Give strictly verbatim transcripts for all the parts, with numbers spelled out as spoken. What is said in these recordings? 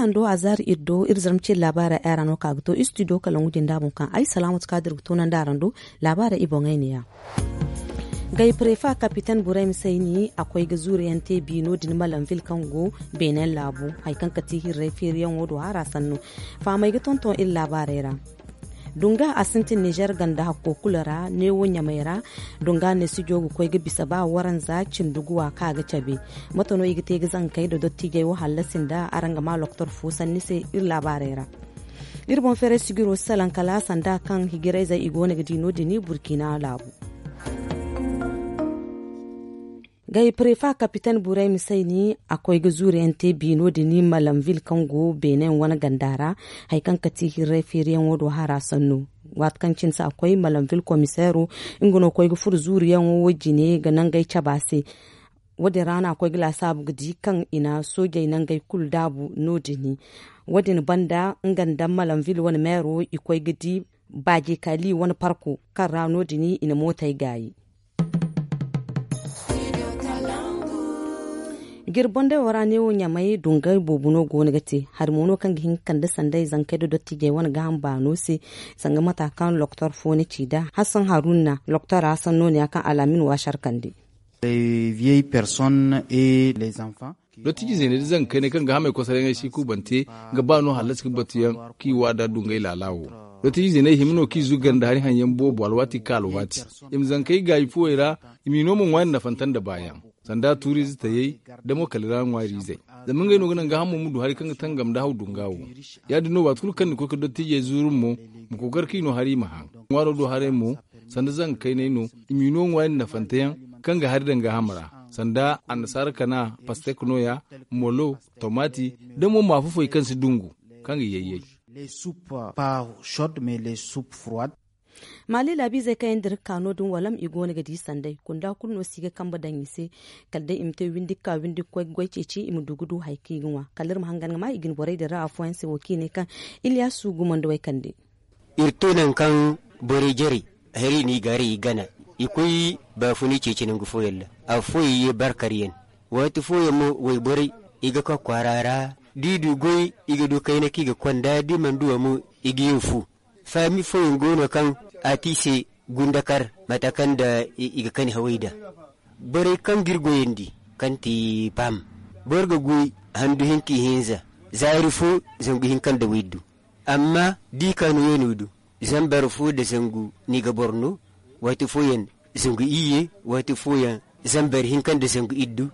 Hando a zaari iri do iri zarma ce laabaara ay ra no ka ga to istidiyo kala ŋudin da boŋ kaŋ ay salaamatu ka dira ga toonandi araŋ do. Laabaara i boŋey ne ya. Gay prefa kapiten burey ma sayni a koy ga zuuriyaŋ te bi no- din malamvil kaŋ go beenen laabu hari kaŋ ga ti hirray feeriyaŋo do hara sanno. Fahamey ga tonton iri laabaarey ra. Dunga a sintin nizer ganda hakko kulu ra neewo ɲamey ra. Dunga ne sijo ga koy ga bisa ba waranza cindi guwa kaŋ a ga cabe. Mate no i ga te ga zankey nda dottijey wo hallasi nda araŋ ga ma loktor fo sanni se iri laabaarey ra. Iri boŋ feeray sigiro si salaŋ kala sanda kaŋ hijirayzey i go no ga di no- din burkina laabu. Gay prefa kapiten burey ma sayni a koy ga zuuriyaŋ te bi no- din malamvil kaŋ go beenen wane ganda ra. Hari kaŋ ga ti hirray feeriyaŋo do hara sanno. Waati kaŋ cine se a koy malamvil komiseero nga no koy ga furo zuuriyaŋo wo jine ga nangey cabe a se. Wo- din ra no a koy ga laasaabu ga di kaŋ i na soojey nangey kulu daabu no- din. Wo- din banda nga nda malamvil wane meero i koy ga di baaje kaali wane parko kaŋ ra no- din i na mootey gaayi. Jirbondey wo ra neewo ɲamey dungay boobo no go no ga te hari mo no kaŋ ga hin ga kande sanday zankey nda dottijey wane gaaham baano se. Zanga mata kaŋ loktor fo na ci nd'a hassan haruna loktora sanno ne ya kaŋ alaamin waasar kande. Dottijizey ne da zankey ne kaŋ ga hamey kosarayaŋey si kubante ga ba no hallasi ga batuyaŋ kaŋ i waada dungay laala wo. Dottijizey ne i hima no kaŋ i zuga nda hari haŋ yaŋ boobo alwaati ka alwaati i ma zankey gaayi fuwey ra. I m'i no ma ŋwaari nafanta nda baayaŋ sanda tuuriize tayey da mo kala i ra ŋwaariizey. Zama ngey no ga naŋ gaahamo ma du hari kaŋ ga tangam nda haw dunga wo. Ya- din no waati kulu kaŋ ni koy ga dottijey zuuru mo ma kookari kaŋ i no hari i ma haŋ ŋwaaro do haray mo. Sanda zanka kaynay no i m'i no ŋwaari nafanta yaŋ kaŋ ga hari daŋ gaaham ra sanda annasaara kana pastek nooya, molo, tomati, da mo maafu foy kaŋ si dungu kaŋ ga yayyay. Maali laabiizey kaŋ yaŋ dira ga ka no- din walam i go no ga di sanday kunda kulu no si ga kambe daŋ i se. Kala day i ma te windi ga ka windi ga koy ga goy ceeci i ma du ga du hari kaŋ i ga ŋwa kala iri ma hangan ga ma i jine borey din ra afooyaŋ se wo kaŋ i ne kaŋ iliyasu gumandawey kande. Iri to nangu kaŋ borey jarey hari no i gaaray i gana i koy baafuni ceeci nangu fooyaŋ ra. Afooyaŋ ye barkaryaŋ waati fooyaŋ mo wayborey i ga koy kwaara ra da i du goy i ga du kayna kaŋ i ga konda da i mana du a mo i ga ye fu. Faami fooyaŋ go no kaŋ a te i se gundakar mata kaŋ nda i ga kani haway nd'a. Borey kaŋ ga iri goyandi kaŋ ti paam boro ga goy handu hinka ihinza zaari fo zangu hinka nda waydu. Amma da i ka nooyaŋ no du zambar fo nda zangu ni ga boro no waati fooyaŋ zangu iyye waati fooyaŋ zambar hinka nda zangu iddu.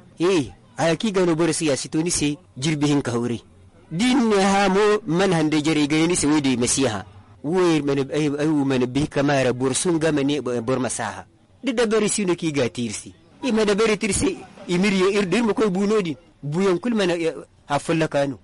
Haya kaŋ i ga no boro se ya si to ni se jirbi hinka hawray. Da i na ne hã mo mana handay jarey ga ne ni se wo- din ay ma si hã. Wo ay wo mana bay kama ra boro sunga ma ne boro ma si a hã. Da dabari si no kaŋ i ga a te iri se i ma dabari te iri se. I ma iri yaŋ iri da iri ma koy bu no- din buyaŋ kulu mana haffallaka no.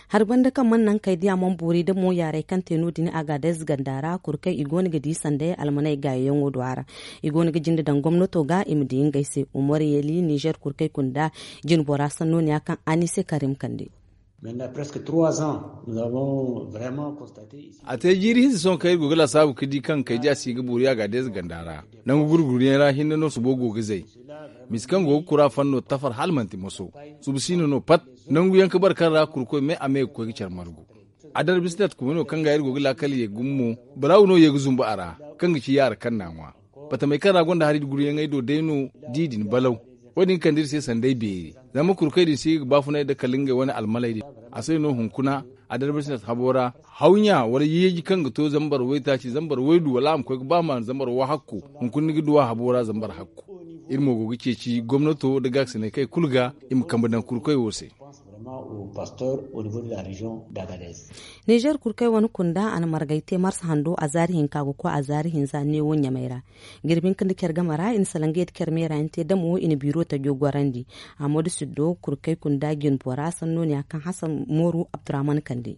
Hari banda kaŋ mana naŋ kay diya mana boori da mo yaaray kaŋ te no- din a ga adayze ganda ra kuru kaŋ i go no ga di sanday almaney gaayayaŋo do a ra. I go no ga jinde daŋ gomnato ga i ma di ngey se umar yali nizer kuru kaŋ i kunda jine bora sanno ne ya kaŋ anise karim kande. A te jiiri hinza sohõ kaŋ iri go ga laasaabu ga di kaŋ kay diya si ga boori a ga adayze ganda ra. Nangu gurguryaŋ ra hinne no subo go ga zay. Misi kaŋ go ga kura fanno tafar hala manti moso. Subu siino no pat. Nangu yaŋ ga bare kaŋ ra kuru koy me a me ga koy ga care margu. Adar bisnet kuma no kaŋ ga iri go ga laakal ye gumo mo. Barawu no ye ga zumbu a ra kaŋ ga ci yaara kaŋ n'a ŋwa. Batamey kaŋ ra gonda hari guryaŋey do day no di din balaw. Wo- din kande iri se sanday beeri zama kuru koy din si ga baafunay nda kala ngey wane almaley din. A se no hunkuna adar bisnet habo ra hawɲa wala yeeji kaŋ ga to zambar waytaaci zambar waydu wala a ma koy ga ba ma zambar wahakku. Hunkuna ni ga duwa habo ra zambar hakku. Iri mo go ga ceeci gomnato nda gaakasinay kay kulu ga i ma kambe daŋ kuru koy wo se. Nizer kuru kaŋ ay wane kunda a na margay te marsa hando a zaari hinka ga koy a zaari hinza neewo ɲamay ra. Jirbi hinka nda care game ra i na salaŋ ga yadda care meera yaŋ te damo i na biiro tajo gorandi. Amadu siddo kuru kaŋ ay kunda jine bora sanno ne ya kaŋ hasan mooru abdurrahman kande.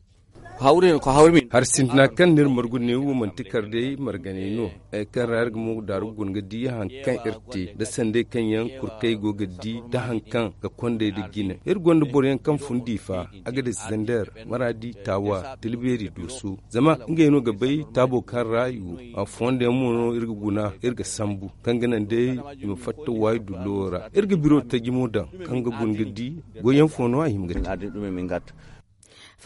Hari sintina kaŋ no iri margu neewo manti kar day marganay no. Hari kaŋ ra iri ga mo daaru guna ga di hari kaŋ iri te nda sanday kaŋ yaŋ kuru kaŋ ay go ga di nda hari kaŋ ga kondey nda jine iri gonda boro yaŋ kaŋ fun diifa, agades, zander, maradi, taawa, tilbeeri, dooso. Zama ngey no ga bay taabo kaŋ ra i wo. Fondo yaŋ mo no iri ga guna iri ga sambu kaŋ ga naŋ day i ma fatta waayi dullo ra. Iri ga biro taji mo daŋ kaŋ ga guna ga di goy yaŋ fo no a hima ga te.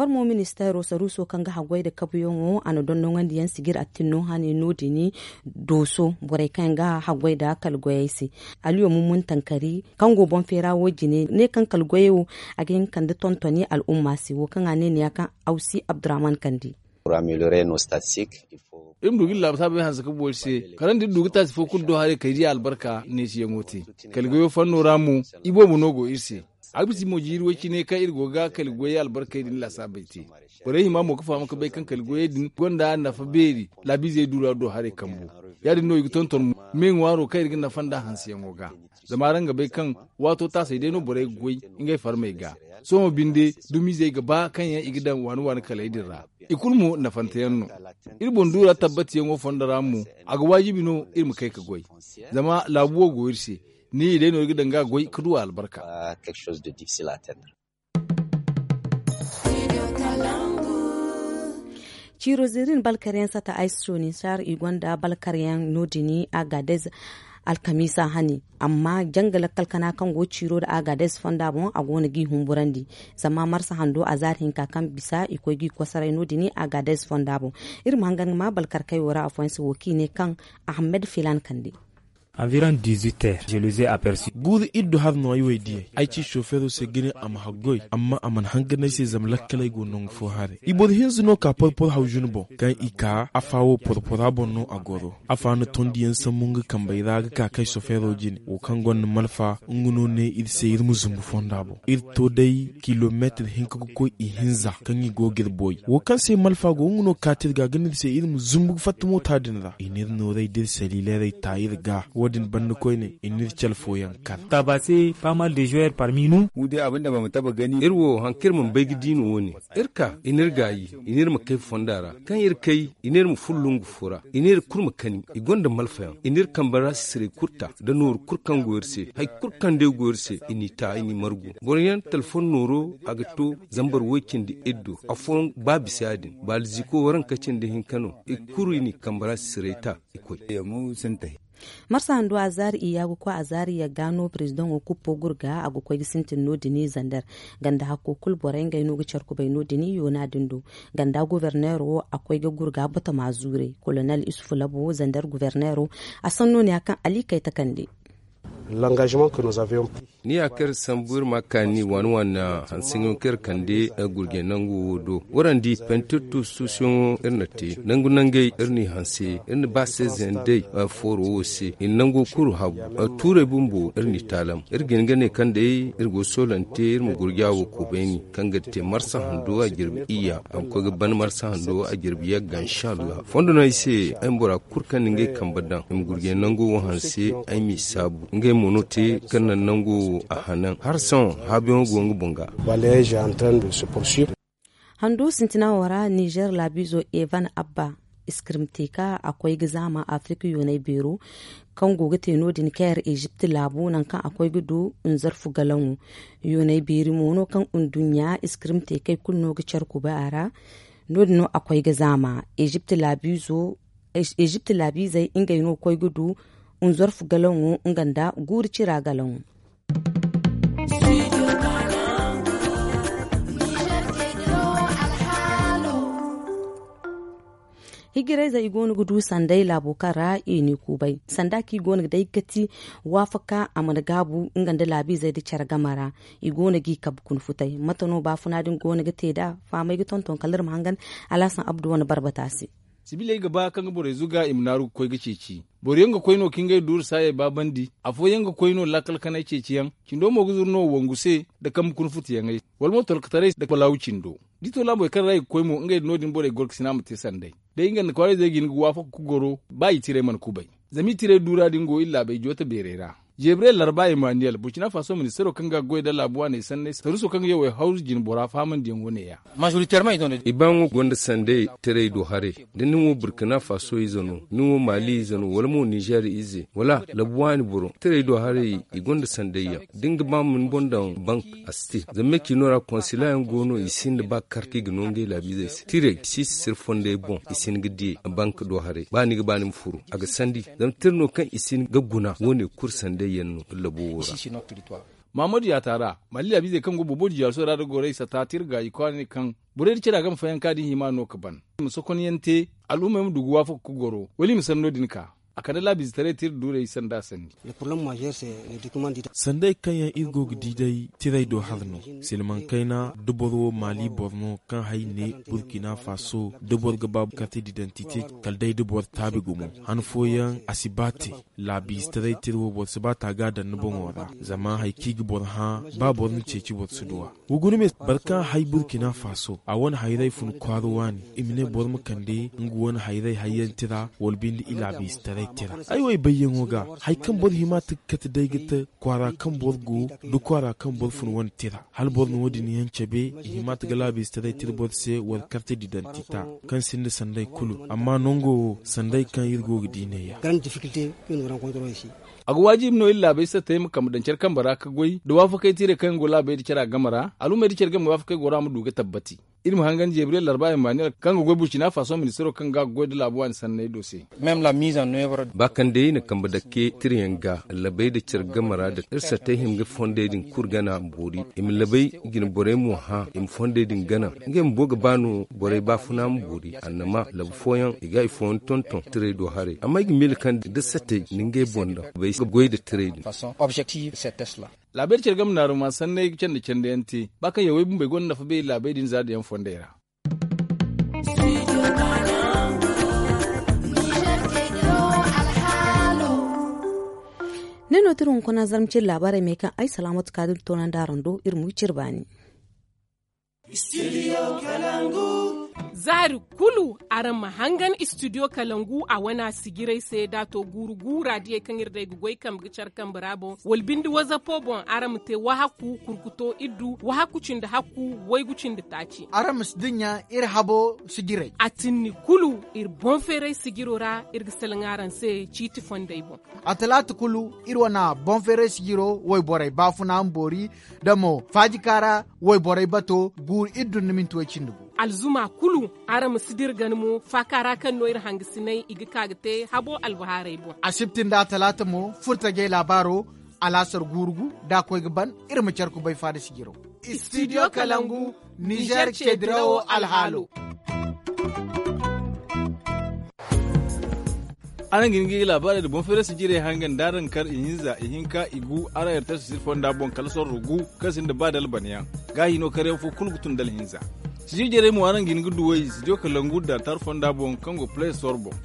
Farmo ministeero saruuso kaŋ ga haggoy nda kabuyaŋo a na dondonandi yaŋ sijir attinno hane no- din dooso borey kaŋ yaŋ ga haggoy nda kala goyey se. Aliyo mummun tankari kaŋ go boŋ feera wo jine ne kaŋ kala goyey wo a ga hin ga kande tontoni al'umma se wo kaŋ a ne ne ya kaŋ awsi abdurrahman kande. Iri ma du ga iri laasaabey hanse ga boori se kala nda iri du ga taasi fo kulu do haray kay diya albarka neesiyaŋo te. Kala goyo fanno ra mo iboobo no go iri se. Abisi mo jiiri way cine kaŋ iri go ga kala goyey albarkey din laasaabey te. Borey hima mo ga faham ga bay kaŋ kala goyey din gonda nafa beeri laabiizey duura do haray kambu. Ya- din no i ga tonton me ŋwaaro kaŋ iri ga nafa nd'a hanseyaŋo ga. Zama araŋ ga bay kaŋ waato taasey day no borey ga goy ngey farmey ga. Sohõ binde dumiizey ga ba kaŋ yaŋ i ga daŋ waani waani kaley din ra. I kulu mo nafanteyaŋ no. Iri boŋ duura tabbatiyaŋo fondo ra mo a ga waajibi no iri ma kay ga goy. Zama laabu wo go iri se. Ni i day no iri ga daŋ ga goy ga du albarka. Ciiro zirin balkaryaŋ sata ay soni sar i gonda balkaryaŋ no- din agadez alkamiisa hane. Amma janga lakkal kana kaŋ go ciiro nda agadez fonda boŋ a go no g'i humburandi. Zama marsa hando a zaari hinka kaŋ bisa i koy g'i kosoray no- din agadez fonda boŋ. Iri ma hangan ga ma balkarkey wo ra afooyaŋ se wo kaŋ i ne kaŋ ahammed filan kande. Environ dix-huit heures je les ai aperçus. Guuru iddu har no ay way diyey ay ci sofeero se ga ne a ma haggoy amma a mana hangan ay se zama lakkaley go nangu fo haray i boro hinza no ka porpor hawjun boŋ. Kaŋ i ka afa wo porpora boŋ no a goro. Afa na tondiyaŋ sambu nga kambey ra ga ka kay sofeero jine wo kaŋ gonda malfa nga no ne iri se iri ma zumbu fonda boŋ iri to day kilomeetir hinka ga koy ihinza kaŋ i go ga iri boy wo kaŋ se malfa go nga no kaati iri ga ga ne iri se iri ma zumbu ga fatta moota din ra i n'iri nooray da iri saliilaray ta iri ga wo- din banda koyne i n'iri cale fooyaŋ kar. Tabase pas mal de joueurs parmi nous. Iri wo hari kaŋ iri mana bay ga diino wo- ne iri ka i n'iri gaayi i n'iri ma kay fonda ra kaŋ iri kay i n'iri ma furo lungu fo ra i n'iri kulu ma kani i gonda malfayaŋ i n'iri kambe ra sisiray kulu ta nda nooru kulu kaŋ go iri se hari kulu kaŋ day go iri se i n'i ta i n'i margu boro yaŋ talfon nooro a ga to zambar woy cindi iddo afooyaŋ ba bisa ya- din baalziko waranka cindi hinka no i kulu i n'i kambe ra sisiray ta i koy. Marsa hando a zaari iyya ga koy a zaari yagga no prezidaŋo kuppo gurga a ga koy ga sintin no- din zander ganda hakko kulu borey ngey no ga care kubay no- din yoona din do ganda goborneero a koy ga gurga batama zuurey kolonel isufu labo zander goborneero a sanno ne ya kaŋ ali kay takande. Ni ya kaŋ iri sambu iri ma kaani waani waani hanseyaŋo kaŋ iri kande gurjey nangu wo do warandi pentirtus suusuyaŋo iri na te nangu nangey iri n'i hanse iri na ba seezeyaŋ day fooro wo se i na nango kulu hagu tuurey bumbo iri n'i taalam iri ga hin ga ne kaŋ day iri go soolante iri ma gurja wo kubayni kaŋ ga te marsa hando a jirbi iyya a ma koy ga ban marsa hando a jirbi yagga inshallah fondo no ay se ay ma bora kulu kaŋ na ngey kambe daŋ i ma gurjey nango wo hanse ay m'i saabu ngey mo no te kaŋ naŋ nango wo a hanan hala sohõ haabuyaŋo go nga boŋ ga. Hando sintina wo ra nizer laabiizo evan abba iskirimteeka a koy ga zaama afirika yoonay beero kaŋ go ga te no- din kayar ezipt laabu nangu kaŋ a koy ga du nzarfu galaŋo yoonay beeri mo no kaŋ nduɲɲa iskirimteekey kulu no ga care kubay a ra. No- din no a koy ga zaama ezipt laabiizo ezipt laabiizey ngey no koy ga du nzarfu galaŋo nga nda guuru cira galaŋo. Hijirayze i go no ga du sanday laabo kaŋ ra i n'i kuubay sanda kaŋ i go no ga day ga ti waafaka a mana gaabu nga nda laabiizey nda care game ra. I go no g'i kabe kuna futay mate no baafuna din go no ga te nd'a fahamay ga tonton kala iri ma hangan alhasan abdu wane barbata se. Sibiley ga ba kaŋ ga borey zuga i ma naaru ga koy ga ceeci. Boro yaŋ ga koy no ka ngey duuru saayey baabandi. Afooyaŋ ga koy no laakal kanay ceeciyaŋ. Cindo mo ga zuru no wangu se nda kambe kuna futayaŋey wala mo tolkotaray nda balaawu cindo. Da i to laabey kaŋ ra i ga koy mo ngey din no- din borey gorkasina ma te sanday. Day nga nda kwaarayzey ga hin ga waafaka ga goro ba i tiray mana kubay. Zama i tiray duura din go iri laabey joota beerey ra. Jebrel larba emaniyel burkina faso ministaro kaŋ ga goy nda laabu waaney sanney saruuso kaŋ ga yawey hawru jine bora fahamandiyaŋo ne-ya. I baayaŋo gonda sanday tiray do haray. Da ni wo burkina faso ize no ni wo mali ize no wala mo nizer ize wala labu waani boro tiray do haray i gonda sandayyaŋ da ni ga ba ma ni boŋ daŋ bank a si te zama me ciino ra konsila yaŋ go no i sinda ba kar kaŋ i ga no ngey laabiizey se tiray si sisir fondey boŋ i si hin ga di bank do haray ba ni ga ba ni ma furu a ga sandi zama tira no kaŋ i si hin ga guna wo- ne kulu sandayyaŋ no labo wo ra. Mahammadu yaata ra, mali laabiizey kaŋ go boobo diyaalo sohõ ra nda gorey sata tirga i kwaara ne kaŋ borey nda care a game fayanka din hima no ga ban, i ma sokonyaŋ te, al'ummey ma du ga waafaka ga goro wala i ma sanno din ka. A kande laabiizetaray tira duurey sanda sanni. Sanday kaŋ yaŋ iri go ga di day tiray do hari no. Silmaŋ kayna da boro wo maali boro no kaŋ hay ne burkina faso da boro ga ba karte didantite, kala day da boro taabi gumo. Han fooyaŋ a si ba te. Laabiizetaray tira wo boro si ba ta ga a daŋ ni boŋo ra, zama hari kaŋ i ga boro hã, ba boro na ceeci boro si du a. Wa guna me boro kaŋ hay burkina faso a wane hayray fun kwaara waani, i ma ne boro ma kande nga wane hayray hayyaŋ tira wala binde i laabiizetaray tira. Ay wo ay bayyaŋo ga, hari kaŋ boro hima ta ga kate day ga te kwaara kaŋ boro go, da kwaara kaŋ boro fun wane tira. Hala boro na wo- din yaŋ cabe, i hima ta ga laabiizetaray tira boro se wala karte didantita, kaŋ sinda sanday kulu. Amma nango wo sanday kaŋ iri go ga di neeya. A ga waajibi no iri laabey sattey ma kambe daŋ care kambe ra ga goy nda waafakey tiirey kaŋ yaŋ go laabey nda cara game ra, al'ummey nda care game waafakey goro a ma du ga tabbati. Iri ma hangan jebriyel larba emmanuel kaŋ ga goy burkina faso ministiro kaŋ ga a ga goy nda laabu waani sanney do se. Ba kaŋ day i na kambe dakke tirayaŋ ga, labey nda care game ra da iri sattey hima ga fondey din kulu gana boori, i ma labey jine borey mo hã i ma fondey din gana. Ngey bumbo ga ba no borey baafuna ma boori annama labu fooyaŋ i ga ifooyaŋ tonton tiray do haray amma ay ga miila kaŋ da sattey na ngey boŋ daŋ bay ga goy nda tiray din. Laabey da care game naaruma sanney ga candi candiyaŋ te ba kaŋ yawey bumbey gonda nafa beeri laabey din za da yaŋ fondey ra. Ne no tira hunkuna zarma cire laabaarey me kaŋ ay salaamatu kaadin toonandi araŋ do iri ma wi cire baani. Zaari kulu araŋ ma hangan istidiyo kalangu a wane a sijirey se da a to guuru gu raadiyey kaŋ iri day ga goy kambe ga care kambe ra boŋ wala binde wazapo boŋ araŋ ma te wahakku kurkuto iddu wahakku cindi hakku waygu cindi taaci. Araŋ ma si dinya iri habo sijirey a tinni kulu iri boŋ feeray sijiro ra iri ga salaŋ araŋ se ciiti fondey boŋ. A talaata kulu iri wane boŋ feeray sijiro wayborey baafuna ma boori da mo faajika ra wayborey bato guuru iri dun ni minti way cindi gu. Alzuma kulu araŋ ma si dira gana mo faaka ra kaŋ no iri hangasinay i ga ka ga te habo albahaarey boŋ. Asibti nda a talaata mo furtajey laabaaro alaasar guuru gu da a koy ga ban iri ma care kubay faada sijiro. Istidiyo kalangu nizer ce dirawo alhaalo. Araŋ ga hin ga i laabaarey nda boŋ feerey sijirey hangan da araŋ kar ihinza ihinka igu araŋ yarta sisir fonda boŋ kala sorro gu kaŋ sinda ba dalbanayaŋ. Gaahi no karyaŋ fo kulu ga tun dalhinza. Sijir jarey mo araŋ ga hin ga duw'ey sijir kalangu da tar fonda boŋ kaŋ go play store boŋ.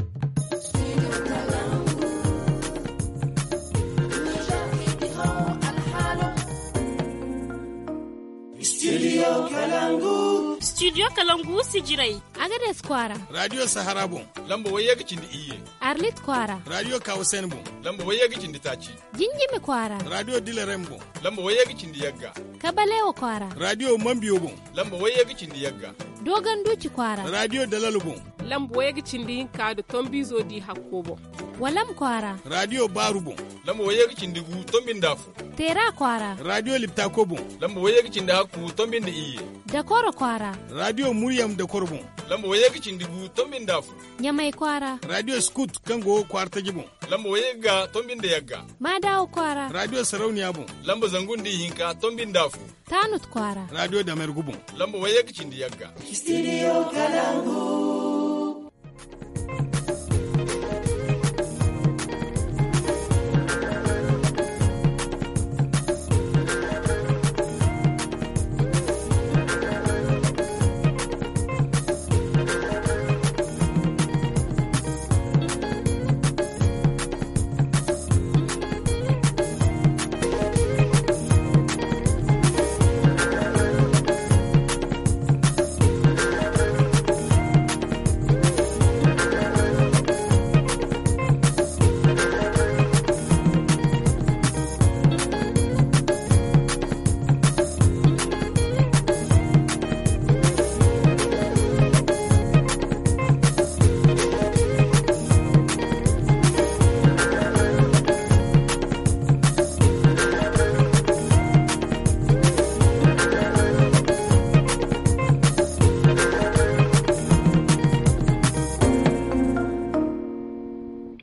Studio kalangu sijirey. Agades kwaara radio sahara boŋ. Lamba wayye ga cindi iyye. Arlit kwaara radio kawasen boŋ. Lamba wayye ga cindi taaci. Jinjimi kwaara radio dilarem boŋ. Lamba wayye ga cindi yagga. Kabalewa kwaara radio mambiyo boŋ. Lamba wayye ga cindi yagga. Dogon duci kwaara radio dalalo boŋ. Lamba wayye ga cindi hinka da tombizo di hakko boŋ. Walam kwaara radio baaru boŋ. Lamba wayye ga cindi gu tombi nda afo. Teera kwaara radio liptako boŋ. Lamba wayye ga cindi hakku tombi nda iyye. Dakoro kwaara radio muryam dakoro boŋ. Lamba wayye ga cindi gu tombi nda afo. Ɲamay kwaara radio skut kaŋ go kwaara taji boŋ. Lamba wayye ga tombi nda yagga. Maadawa kwaara radio sarauniya boŋ. Lamba zangu nda ihinka tombi nda afo. Taanut kwaara radio damergu boŋ. Lamba wayye ga cindi yagga. Studio kalangu.